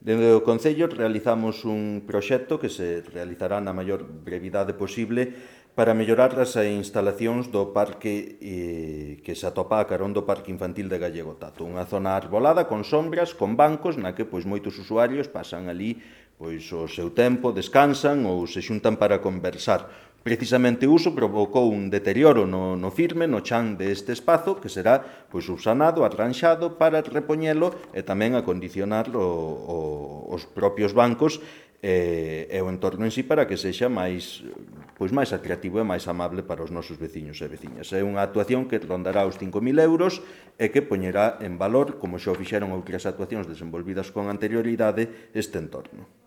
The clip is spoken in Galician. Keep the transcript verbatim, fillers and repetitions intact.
Dende o Concello realizamos un proxecto que se realizará na maior brevidade posible para mellorar as instalacións do parque eh, que se atopa a carón do Parque Infantil de Gallego Tato. Unha zona arbolada con sombras, con bancos, na que pois moitos usuarios pasan ali pois o seu tempo, descansan ou se xuntan para conversar. Precisamente o uso provocou un deterioro no, no firme, no chan deste espazo, que será pois, subsanado, arranxado para repoñelo e tamén acondicionar o, o, os propios bancos e, e o entorno en sí para que sexa máis, pois, máis atractivo e máis amable para os nosos veciños e veciñas. É unha actuación que rondará os cinco mil euros e que poñerá en valor, como xa o fixeron outras actuacións desenvolvidas con anterioridade, este entorno.